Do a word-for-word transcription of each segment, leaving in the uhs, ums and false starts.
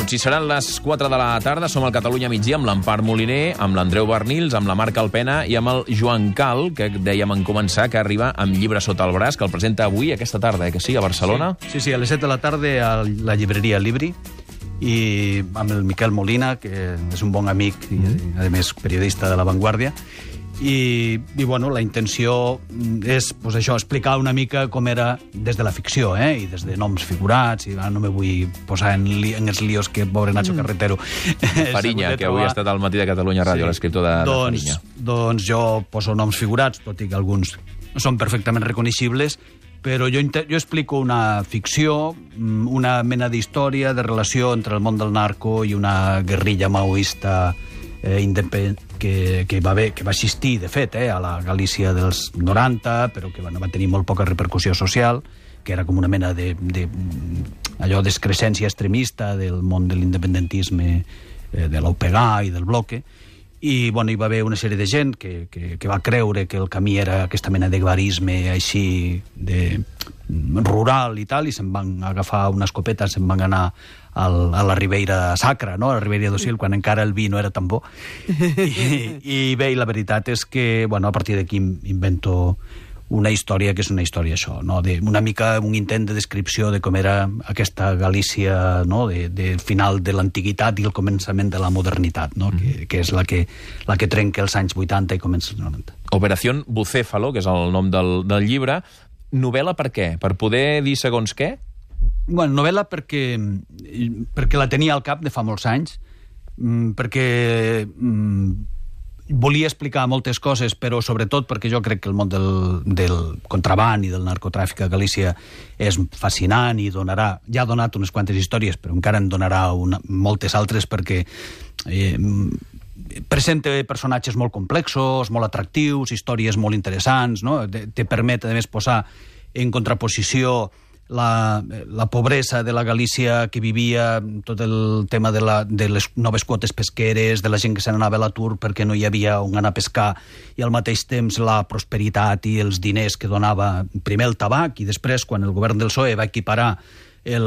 minuts. I seran les quatre de la tarda. Som al Catalunya migdia amb l'Empar Moliner, amb l'Andreu Bernils, amb la Marc Alpena i amb el Joan Cal, que dèiem en començar, que arriba amb llibre sota el braç, que el presenta avui, aquesta tarda, eh, que sí, a Barcelona? Sí, sí, sí, a les set de la tarda a la llibreria Libri, i amb el Miquel Molina, que és un bon amic i, a més, periodista de La Vanguardia. I, i bueno, la intenció és pues, això, explicar una mica com era des de la ficció, eh? I des de noms figurats, i ara no me vull posar en, li, en els líos que pobre Nacho mm. Carretero Farinya, que avui ha estat al Matí de Catalunya Ràdio, sí. L'escriptor de, doncs, de Farinya. Doncs jo poso noms figurats, tot i que alguns són perfectament reconeixibles, però jo, jo explico una ficció, una mena d'història de relació entre el món del narco i una guerrilla maoista eh, independent, que, que, va haver, que va existir, de fet, eh, a la Galícia dels noranta, però que bueno, va tenir molt poca repercussió social, que era com una mena de, de allò d'excrescència extremista del món de l'independentisme, eh, de l'U P G A i del bloque. I bueno, hi va haver una sèrie de gent que, que, que va creure que el camí era aquesta mena de guarisme així de rural i tal, i se'n van agafar una escopeta, se'n van anar al, a la Ribeira Sacra, no? A la Ribeira d'Ocil, quan encara el vi no era tan bo. I, i bé, i la veritat és que, bueno, a partir d'aquí invento una història que és una història això, no? De, una mica un intent de descripció de com era aquesta Galícia, no? de, de final de l'antiguitat i el començament de la modernitat, no? Mm. que, que és la que, la que trenca els anys vuitanta i comença els noranta. Operació Bucéfalo, que és el nom del, del llibre. Novel·la per què? Per poder dir segons què? Bueno, novel·la perquè, perquè la tenia al cap de fa molts anys, perquè volia explicar moltes coses, però sobretot perquè jo crec que el món del, del contraban i del narcotràfic a Galícia és fascinant i donarà, ja ha donat unes quantes històries, però encara en donarà una, moltes altres, perquè eh, presenta personatges molt complexos, molt atractius, històries molt interessants, no? Te, te permet, a més, posar en contraposició La, la pobresa de la Galícia que vivia, tot el tema de, la, de les noves quotes pesqueres, de la gent que se n'anava a l'atur perquè no hi havia on anar a pescar, i al mateix temps la prosperitat i els diners que donava primer el tabac, i després, quan el govern del P S O E va equiparar el,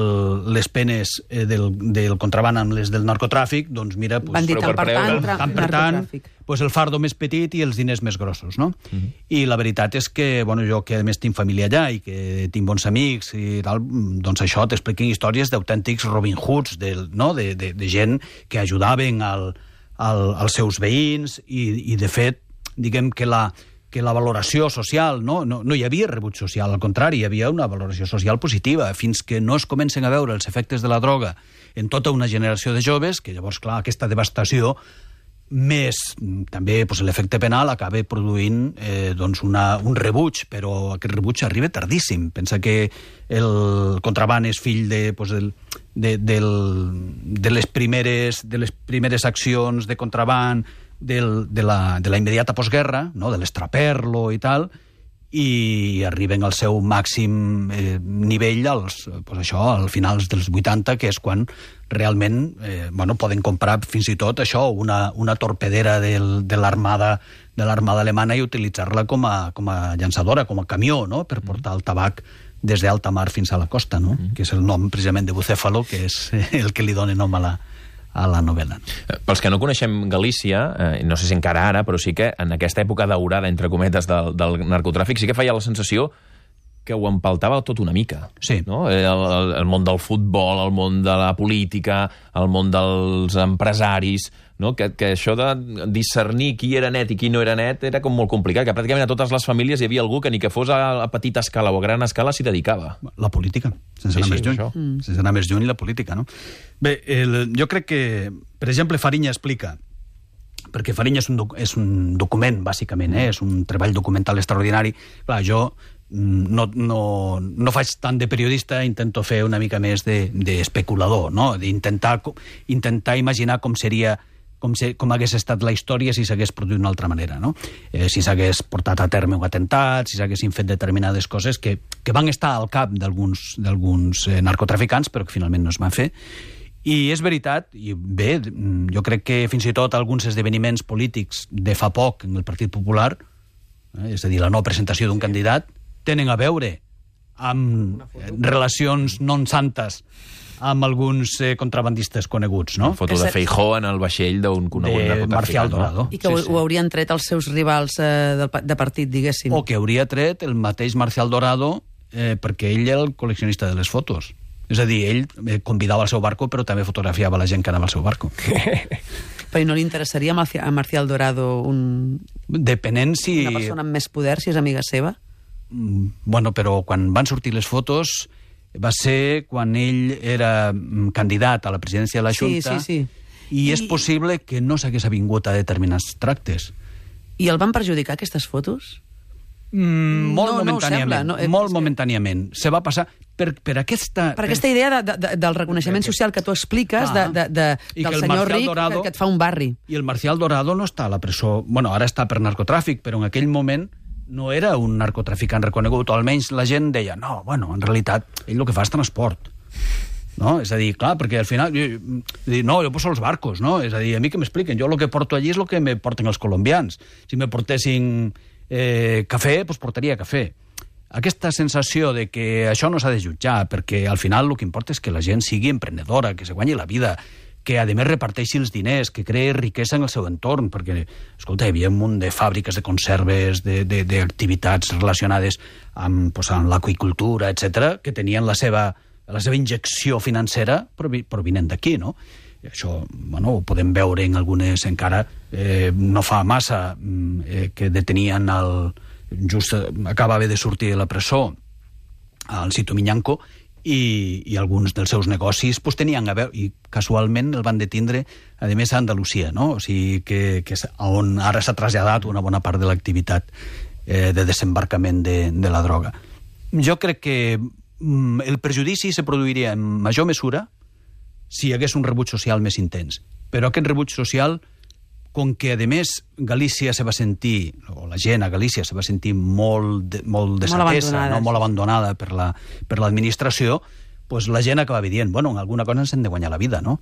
les penes eh, del, del contraban amb les del narcotràfic, doncs mira... Pues, van dir tant per tant, tant per tant, pues el fardo més petit i els diners més grossos, no? Mm-hmm. I la veritat és que, bueno, jo que a més tinc família allà i que tinc bons amics i tal, doncs això t'expliquen històries d'autèntics Robin Hoods, de, no? de, de, de gent que ajudaven al, al, als seus veïns i, i de fet, diguem que la... que la valoració social, no? No, no hi havia rebuig social, al contrari, hi havia una valoració social positiva, fins que no es comencen a veure els efectes de la droga en tota una generació de joves, que llavors, clar, aquesta devastació, més també pues, l'efecte penal acaba produint eh, doncs una, un rebuig, però aquest rebuig arriba tardíssim. Pensa que el contraban és fill de, pues, del, de, del, de, les primeres, de les primeres accions de contraban Del, de, la, de la immediata postguerra, no? De l'estraperlo i tal, i arriben al seu màxim eh, nivell als, pues això, al finals dels vuitanta, que és quan realment eh, bueno, poden comprar fins i tot això, una, una torpedera del, de l'armada de l'armada alemana i utilitzar-la com a, com a llançadora, com a camió, no? Per portar el tabac des d'alta mar fins a la costa, no? Mm. Que és el nom precisament de Bucéfalo, que és el que li dona nom a la a la novel·la. Pels que no coneixem Galícia, eh, no sé si encara ara, però sí que en aquesta època daurada, entre cometes, del, del narcotràfic, sí que feia la sensació que ho empaltava tot una mica. Sí. No? El, el, el món del futbol, el món de la política, el món dels empresaris, no? que, que això de discernir qui era net i qui no era net era com molt complicat, que pràcticament a totes les famílies hi havia algú que ni que fos a, a petita escala o a gran escala s'hi dedicava. La política, sense sí, anar sí, més lluny. Mm. Sense anar més lluny, la política, no? Bé, el, jo crec que, per exemple, Farinya explica, perquè Farinya és un, és un document, bàsicament, eh? És un treball documental extraordinari. Clar, jo no, no, no faig tant de periodista, intento fer una mica més d'especulador, no? D'intentar intentar imaginar com seria com, se, com hagués estat la història si s'hagués produït d'una altra manera, no? Eh, si s'hagués portat a terme un atemptat, si s'haguessin fet determinades coses que, que van estar al cap d'alguns d'alguns eh, narcotraficants, però que finalment no es van fer. I és veritat, i bé, jo crec que fins i tot alguns esdeveniments polítics de fa poc en el Partit Popular, eh, és a dir, la no presentació d'un sí. candidat, tenen a veure amb relacions non santes amb alguns eh, contrabandistes coneguts, no? Una foto de Feijóo en el vaixell d'un conegut de Marcial Dorado. I que sí, ho, sí. ho haurien tret els seus rivals eh, de, de partit, diguéssim. O que hauria tret el mateix Marcial Dorado eh, perquè ell era el col·leccionista de les fotos. És a dir, ell eh, convidava al seu barco, però també fotografiava la gent que anava al seu barco. Però no li interessaria a Marcial Dorado un... Depenent si... una persona amb més poder, si és amiga seva? Bueno, però quan van sortir les fotos va ser quan ell era candidat a la presidència de la Junta, sí, sí, sí. i és I... possible que no s'hagués avingut a determinats tractes. I el van perjudicar, aquestes fotos? Mm, molt no, momentàniament. No sembla, no, molt momentàniament. Se va passar per, per aquesta... Per aquesta idea de, de, del reconeixement social que tu expliques, ah, de, de, de, del senyor ric Dorado, que, que et fa un barri. I el Marcial Dorado no està a la presó... Bueno, ara està per narcotràfic, però en aquell moment no era un narcotraficant reconegut, o almenys la gent deia, no, bueno, en realitat, ell el que fa és transport. No? És a dir, clar, perquè al final... Jo, jo, no, jo poso els barcos, no? És a dir, a mi que m'expliquen, jo el que porto allí és el que me porten els colombians. Si me portessin eh, cafè, doncs portaria cafè. Aquesta sensació de que això no s'ha de jutjar, perquè al final el que importa és que la gent sigui emprenedora, que se guanyi la vida, que a més reparteixi els diners, que creï riquesa en el seu entorn, perquè, escolta, hi havia un munt de fàbriques de conserves, d'activitats relacionades amb, pues, amb l'aqüicultura, etcètera, que tenien la seva, la seva injecció financera provinent d'aquí, no? I això, bueno, ho podem veure en algunes, encara eh, no fa massa, eh, que detenien el... just acabava de sortir de la presó al Cito Miñanco, i, i alguns dels seus negocis pues, tenien a veure, i casualment el van detindre a més a Andalusia, no? O sigui que, que és on ara s'ha traslladat una bona part de l'activitat eh, de desembarcament de, de la droga. Jo crec que mm, el perjudici se produiria en major mesura si hi hagués un rebuig social més intens, però aquest rebuig social, com que, a més, Galícia se va sentir, o la gent a Galícia se va sentir molt, de, molt desatesa, molt, no? molt abandonada per la, per l'administració, pues la gent acabava dient, bueno, en alguna cosa ens hem de guanyar la vida, no?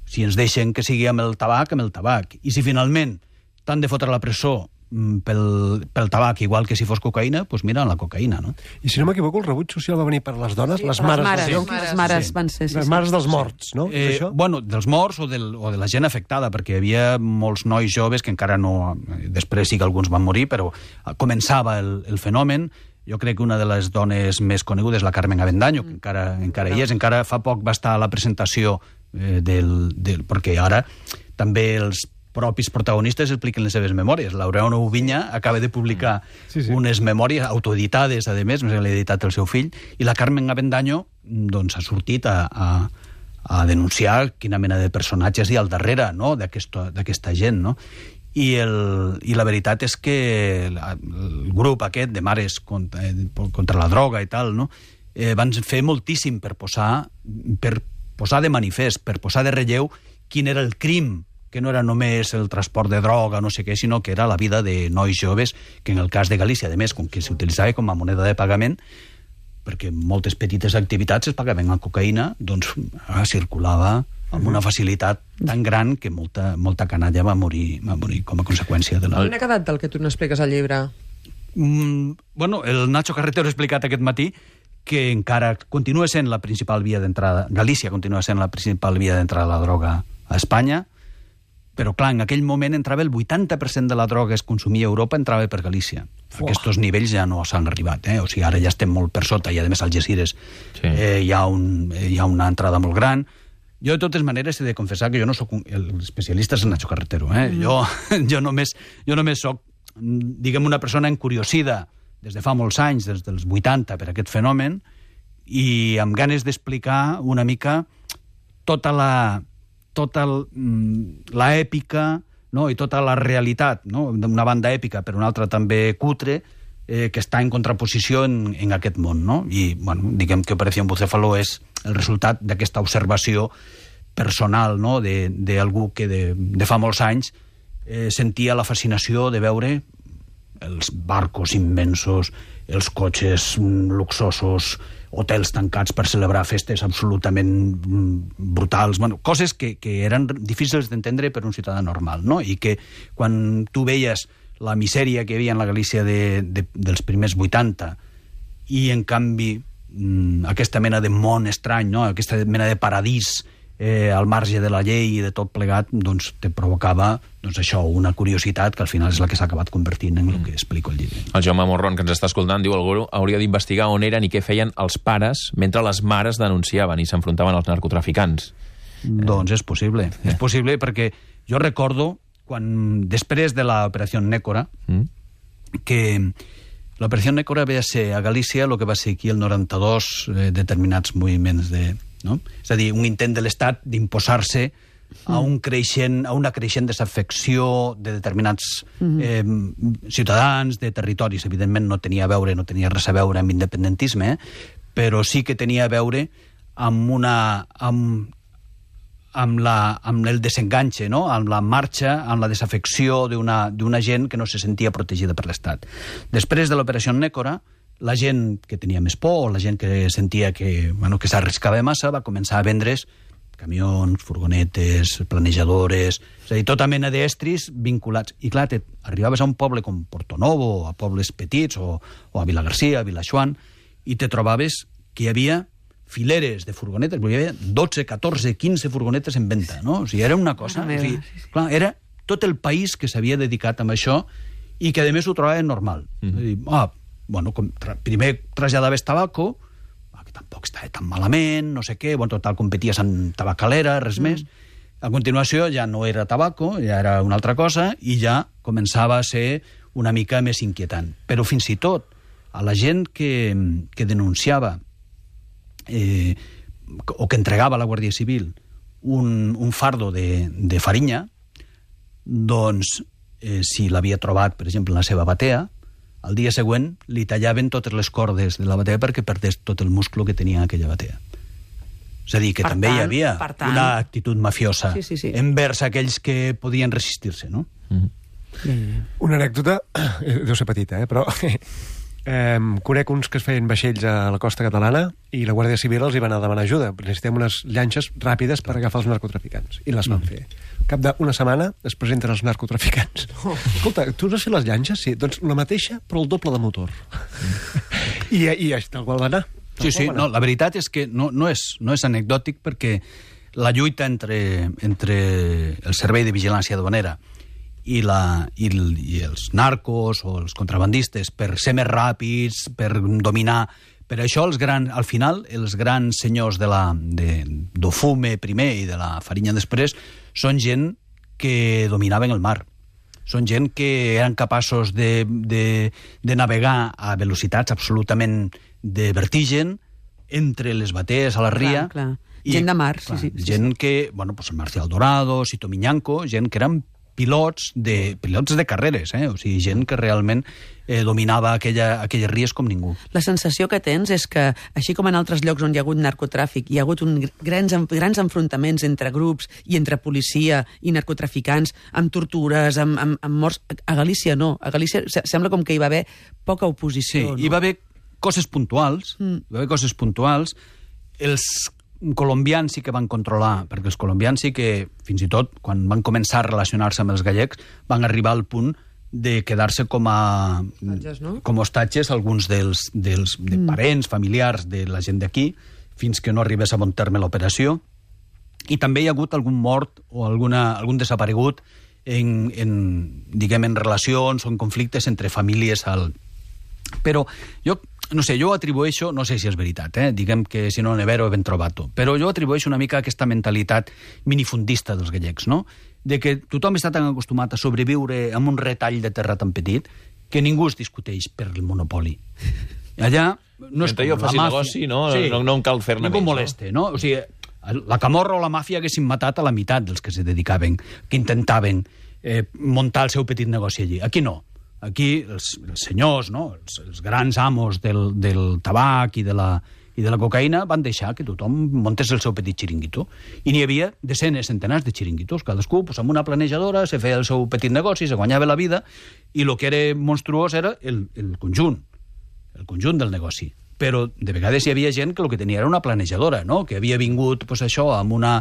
Si ens deixen que sigui amb el tabac, amb el tabac. I si finalment t'han de fotre a la presó pel, pel tabac, igual que si fos cocaïna, doncs mira, la cocaïna, no? I si no m'equivoco, el rebuig social va venir per les dones, sí, les mares, les mares, dels les mares, mares sí. van ser... Sí, les sí, mares sí. dels morts, no? Eh, bueno, dels morts o, del, o de la gent afectada, perquè hi havia molts nois joves que encara no... Després sí que alguns van morir, però començava el, el fenomen. Jo crec que una de les dones més conegudes és la Carmen Avendaño, que encara, encara hi és. Encara fa poc va estar a la presentació eh, del, del... perquè ara també els propis protagonistes expliquen les seves memòries. Laureano Ubiña acaba de publicar sí, sí. unes memòries autoeditades, a més, més l'ha editat el seu fill, i la Carmen Avendaño doncs, ha sortit a, a, a denunciar quina mena de personatges hi ha al darrere, no?, d'aquesta gent, no? I, el, I la veritat és que el, el grup aquest de mares contra, contra la droga i tal, no?, eh, van fer moltíssim per posar, per posar de manifest, per posar de relleu quin era el crim, que no era només el transport de droga, no sé què, sinó que era la vida de nois joves, que en el cas de Galícia, a més, com que s'utilitzava com a moneda de pagament, perquè moltes petites activitats es pagaven amb cocaïna, doncs ah, circulava amb una facilitat tan gran que molta, molta canalla va morir, va morir com a conseqüència de la... Quin ha quedat del que tu n'expliques al llibre? Mm, bueno, el Nacho Carretero ha explicat aquest matí que encara continua sent la principal via d'entrada, Galícia continua sent la principal via d'entrada de la droga a Espanya, però clar, en aquell moment entrava el vuitanta per cent de la droga que es consumia a Europa entrava per Galícia. Oh. Aquests nivells ja no s'han arribat, eh? O sigui, ara ja estem molt per sota, i a més Algeciras sí. eh, hi, ha un, eh, hi ha una entrada molt gran. Jo, de totes maneres, he de confessar que jo no sóc un... l'especialista és el Nacho Carretero, eh? Mm. Jo, jo només, jo només sóc, diguem, una persona encuriosida des de fa molts anys, des dels vuitanta, per aquest fenomen, i amb ganes d'explicar una mica tota la... tota l'èpica, no? I tota la realitat, no? D'una banda èpica, per una altra també cutre, eh, que està en contraposició en, en aquest món, no? I, bueno, diguem que Operació Bucéfalo és el resultat d'aquesta observació personal, no?, d'algú que de, de fa molts anys eh, sentia la fascinació de veure els barcos immensos, els cotxes luxosos, hotels tancats per celebrar festes absolutament brutals, bueno, coses que, que eren difícils d'entendre per un ciutadà normal, no? I que quan tu veies la misèria que hi havia en la Galícia de, de, dels primers vuitanta i, en canvi, mm, aquesta mena de món estrany, no? Aquesta mena de paradís eh, al marge de la llei i de tot plegat, doncs te provocava doncs, això, una curiositat que al final és la que s'ha acabat convertint en el que explico al llibre. El Jaume Morron, que ens està escoltant, diu algú hauria d'investigar on eren i què feien els pares mentre les mares denunciaven i s'enfrontaven als narcotraficants. Doncs és possible. És possible perquè jo recordo quan, després de l'operació Nécora, mm. que l'operació Nécora va ser a Galícia el que va ser aquí el noranta-dos, eh, determinats moviments de... No? És a dir, un intent de l'Estat d'imposar-se a, un creixent, a una creixent desafecció de determinats eh, ciutadans, de territoris. Evidentment no tenia a veure, no tenia res a veure amb independentisme, eh? Però sí que tenia a veure amb una... amb, amb, la, amb el desenganxe, no? Amb la marxa, amb la desafecció d'una d'una gent que no se sentia protegida per l'Estat. Després de l'operació Nécora, la gent que tenia més por, la gent que sentia que, bueno, que s'arriscava massa, va començar a vendre's camions, furgonetes, planejadores, és a dir, tota mena d'estris vinculats. I clar, te arribaves a un poble com Portonovo, a pobles petits, o, o a Vilagarcia, a Vilaxuan, i te trobaves que hi havia fileres de furgonetes, hi havia dotze, catorze, quinze furgonetes en venda, no? O sigui, era una cosa... O sigui, clar, era tot el país que s'havia dedicat a això i que, a més, ho trobava normal. Mm. És a dir, ah, bueno, com tra primer traslladaves tabaco, que tampoc estava tan malament, no sé què, bueno, total, competies amb tabacalera, res mm. més. A continuació ja no era tabaco, ja era una altra cosa, i ja començava a ser una mica més inquietant. Però fins i tot a la gent que, que denunciava eh, o que entregava a la Guàrdia Civil un, un fardo de, de farinya, doncs, eh, si l'havia trobat, per exemple, en la seva batea, al dia següent li tallaven totes les cordes de la batea perquè perdés tot el musclo que tenia aquella batea. És a dir, que per també tant, hi havia tant... una actitud mafiosa sí, sí, sí. envers aquells que podien resistir-se, no? Mm-hmm. Mm-hmm. Una anècdota, deu ser petita, eh? Però eh, conec uns que es feien vaixells a la costa catalana i la Guàrdia Civil els hi va anar a demanar ajuda. Necessitem unes llanxes ràpides per agafar els narcotraficants. I les van mm. fer. Al cap d'una setmana es presenten els narcotraficants. Oh. Escolta, tu has fet les llanxes? Sí. Doncs la mateixa, però el doble de motor. Mm. I, i tal qual va anar. Sí, sí, no, la veritat és que no, no, és, no és anecdòtic perquè la lluita entre, entre el Servei de Vigilància Aduanera i, la, i, el, i els narcos o els contrabandistes per ser més ràpids, per dominar... Per això, els gran, al final, els grans senyors de la, de, d'Ofume primer i de la Farinya després són gent que dominaven el mar. Són gent que eren capaços de, de, de navegar a velocitats absolutament de vertigen entre les batees a la ria. Clar, clar. I, gent de mar, clar, sí, sí. Gent sí. que, bueno, pues Marcial Dorado, Sito Miñanco, gent que eren pilots de, pilots de carreres, eh? O sigui, gent que realment eh, dominava aquella, aquelles ries com ningú. La sensació que tens és que, així com en altres llocs on hi ha hagut narcotràfic, hi ha hagut un grans, grans enfrontaments entre grups i entre policia i narcotraficants, amb tortures, amb, amb, amb morts... A Galícia no. A Galícia sembla com que hi va haver poca oposició. Sí, no? Hi va haver coses puntuals, mm. hi va haver coses puntuals. Els colombians sí que van controlar, perquè els colombians sí que, fins i tot, quan van començar a relacionar-se amb els gallecs, van arribar al punt de quedar-se com a hostatges, no? com a hostatges alguns dels, dels de parents, familiars de la gent d'aquí, fins que no arribés a bon terme l'operació. I també hi ha hagut algun mort o alguna, algun desaparegut en, en, diguem, en relacions o en conflictes entre famílies al... Però jo, no sé, jo atribueixo, no sé si és veritat, eh? Diguem que si no ne vero ben trovato, però jo atribueixo una mica aquesta mentalitat minifundista dels gallecs, no? De que tothom està tan acostumat a sobreviure amb un retall de terra tan petit que ningú es discuteix per el monopoli. Allà no és com jo faci negoci, no? Sí, no, no em cal fer-ne més. Ningú moleste, no? O sigui, la Camorra o la màfia haguessin matat a la meitat dels que se dedicaven, que intentaven eh, muntar el seu petit negoci allí. Aquí no. Aquí els, els senyors, no? els, els grans amos del, del tabac i de, la, i de la cocaïna van deixar que tothom montés el seu petit xiringuito. I n'hi havia desenes, centenars de xiringuitos. Cadascú, pues, amb una planejadora, se feia el seu petit negoci, se guanyava la vida, i el que era monstruós era el, el conjunt, el conjunt del negoci. Però de vegades hi havia gent que el que tenia era una planejadora, no? Que havia vingut, pues, això, amb una...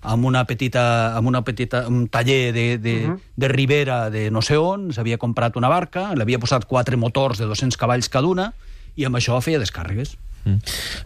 amb una petita, amb una petita un taller de, de, uh -huh. de Ribera de no sé on, s'havia comprat una barca, l'havia posat quatre motors de dos-cents cavalls cada una, i amb això feia descàrregues. Mm.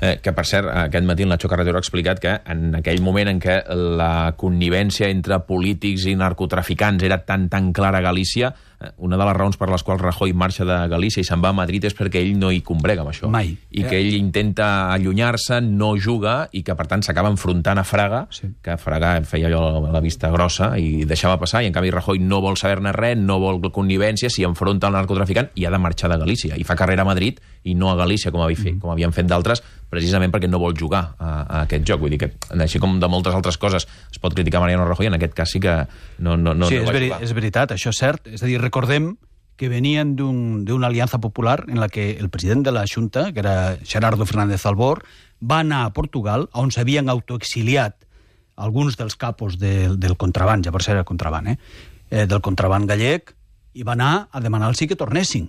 Eh, que, per cert, aquest matí el Nacho Carretero ha explicat que en aquell moment en què la connivència entre polítics i narcotraficants era tan, tan clara a Galícia, una de les raons per les quals Rajoy marxa de Galícia i se'n va a Madrid és perquè ell no hi combrega amb això. Mai. I que ell intenta allunyar-se, no juga, i que, per tant, s'acaba enfrontant a Fraga, sí. que Fraga feia allò la vista grossa i deixava passar, i en canvi Rajoy no vol saber-ne res, no vol connivència, s'hi enfronta al narcotraficant i ha de marxar de Galícia. I fa carrera a Madrid i no a Galícia, com, havia fet, mm. com havien fet d'altres, precisament perquè no vol jugar a, a aquest joc. Vull dir que, així com de moltes altres coses es pot criticar Mariano Rajoy, en aquest cas sí que no, no, no, sí, no és, va veri jugar. és veritat, això és cert. És a dir, recordem que venien d'una un, aliança popular en la que el president de la Junta, que era Gerardo Fernández Albor, va anar a Portugal, on s'havien autoexiliat alguns dels capos de, del contraband, ja per ser el contraband, eh? Eh, del contraband gallec, i va anar a demanar-los que tornessin.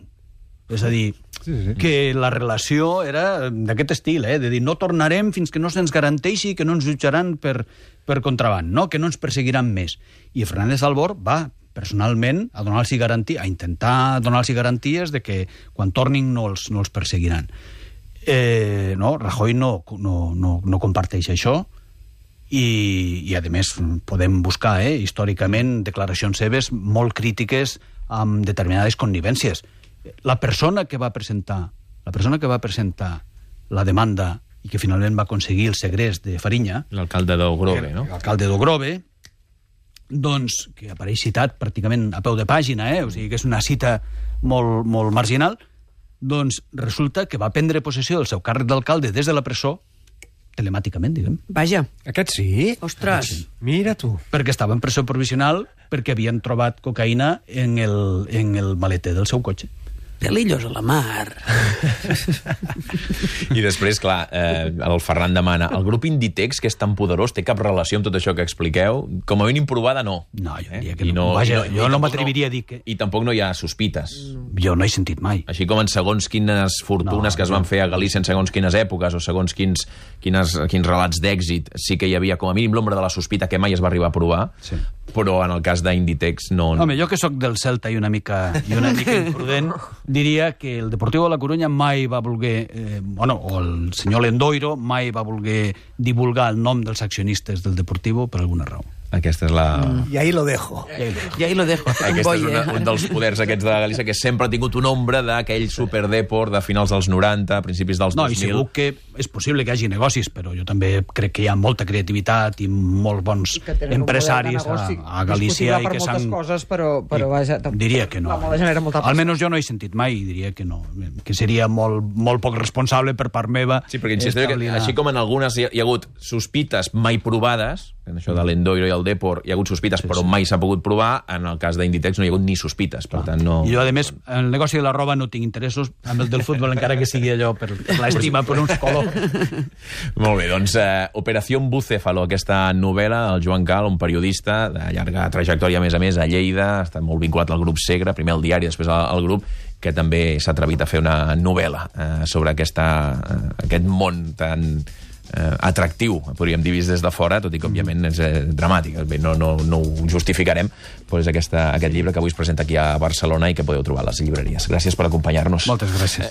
És a dir, sí, sí. que la relació era d'aquest estil, eh? de dir, no tornarem fins que no se'ns garanteixi que no ens jutjaran per, per contraband, no? que no ens perseguiran més. I Fernández Albor va personalment a donar-los garanties, a intentar donar-los garanties de que quan tornin no els, no els perseguiran. Eh, no, Rajoy no, no, no, no comparteix això, i, i a més podem buscar eh, històricament declaracions seves molt crítiques amb determinades connivències. La persona que va presentar la persona que va presentar la demanda i que finalment va aconseguir el segrest de Fariña, l'alcalde d'Ogrove, no? L'alcalde d'Ogrove, doncs, que apareix citat pràcticament a peu de pàgina, eh? O sigui que és una cita molt, molt marginal, doncs resulta que va prendre possessió del seu càrrec d'alcalde des de la presó, telemàticament, diguem. Vaja. Aquest sí? Ostres. Sí. Mira tu. Perquè estava en presó provisional perquè havien trobat cocaïna en el, en el maleter del seu cotxe. Pelillos a la mar. I després, clar, eh, el Ferran demana, el grup Inditex, que és tan poderós, té cap relació amb tot això que expliqueu? Com a mínim provada, no. No, jo diria eh? que no. no. Vaja, i jo i no m'atreviria a dir que... I tampoc no hi ha sospites. Jo no he sentit mai. Així com en segons quines fortunes No, que es van no. fer a Galícia en segons quines èpoques o segons quins, quines, quins relats d'èxit, sí que hi havia com a mínim l'ombra de la sospita que mai es va arribar a provar, Sí. però en el cas d'Inditex no... Home, jo que sóc del Celta i una mica, i una mica imprudent, diria que el Deportivo de la Coruña mai va voler, eh, bueno, o el senyor Lendoiro mai va voler divulgar el nom dels accionistes del Deportivo per alguna raó. Aquesta és la... I ahí lo dejo. I ahí lo dejo. Aquest és una, un dels poders aquests de Galícia que sempre ha tingut una ombra d'aquell superdeport de finals dels noranta, principis dels No, dos mil. i segur que és possible que hi hagi negocis, però jo també crec que hi ha molta creativitat i molts bons que tenen un empresaris model de a, negoci a Galícia discutible i per que moltes s'han... coses, però, però vaja, tampoc- Diria que no. la moda genera molta Almenys jo no he sentit mai i diria que no. Que seria molt, molt poc responsable per part meva. Sí, perquè insisteixo que establir una- així com en algunes hi ha, hi ha hagut sospites mai provades, en això de l'Endoiro i el Depor hi ha hagut sospites però mai s'ha pogut provar, en el cas d'Inditex no hi ha hagut ni sospites, per tant no... I jo, a més, en el negoci de la roba no tinc interessos, amb el del futbol encara que sigui allò per, per l'estima per uns colors. Molt bé, doncs eh, Operació Bucéfalo, aquesta novel·la, el Joan Cal, un periodista de llarga trajectòria, a més a més, a Lleida, està molt vinculat al grup Segre, primer al diari, després al, al grup, que també s'ha atrevit a fer una novel·la eh, sobre aquesta, eh, aquest món tan eh, atractiu, podríem dir vist des de fora, tot i que, òbviament, és eh, dramàtic. Bé, no, no, no ho justificarem, però és aquesta, aquest llibre que avui es presenta aquí a Barcelona i que podeu trobar a les llibreries. Gràcies per acompanyar-nos. Moltes gràcies.